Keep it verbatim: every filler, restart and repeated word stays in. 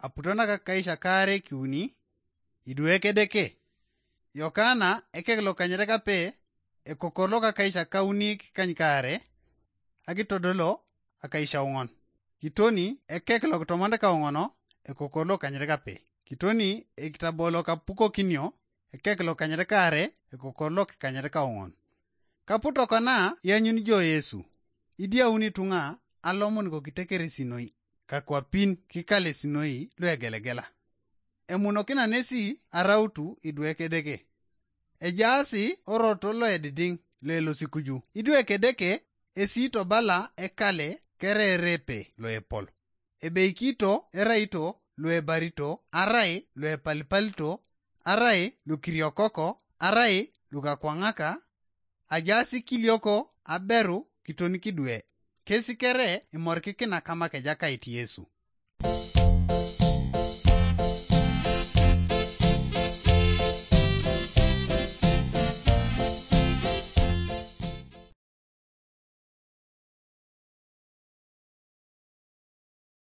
aputo nakakais akaare kiuni, idwe Edeke. Yokana ekek lokanyit kape, ekokor lokakais akauni kikany kaare, akitodolo akais aoŋon. Kitoni ekek lokitomon kaoŋon, ekokor lokanyit kape. Kitoni ekitabo lokapukokinio, ekek lokanyit kaare, ekokor lokikanyit kaoŋon. Kaputo kona ianyuni jo Yesu, idiauni ituŋa alomon kokitekeresinoi, kakwapin kikalesinoi luegelegela. Emunokina nesi arautu idwe Edeke. Ejaasi oroto loedidiŋ loelosikuju. Idwe Edeke esi tobala ekale kererepe loepol. Ebeikito eraito luebarito, arai luepalipalito, arai lukiriokoko, arai lukakwaŋaka, ajaasi kilioko aberu kiton kidwe. Kesi kere imorikikina kamak Ejakait Yesu.